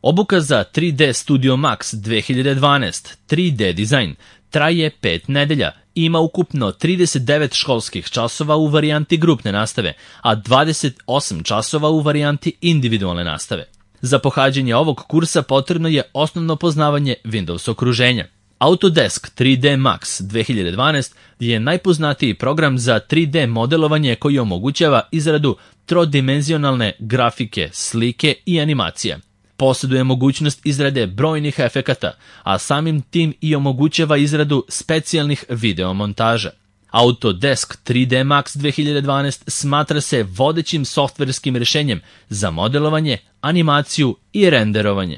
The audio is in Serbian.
Obuka za 3D Studio Max 2012 3D dizajn traje 5 nedelja i ima ukupno 39 školskih časova u varijanti grupne nastave, a 28 časova u varijanti individualne nastave. Za pohađanje ovog kursa potrebno je osnovno poznavanje Windows okruženja. Autodesk 3D Max 2012 je najpoznatiji program za 3D modelovanje koji omogućava izradu trodimenzionalne grafike, slike i animacije. Posjeduje mogućnost izrade brojnih efekata, a samim tim i omogućava izradu specijalnih videomontaža. Autodesk 3D Max 2012 smatra se vodećim softverskim rješenjem za modelovanje, animaciju i renderovanje.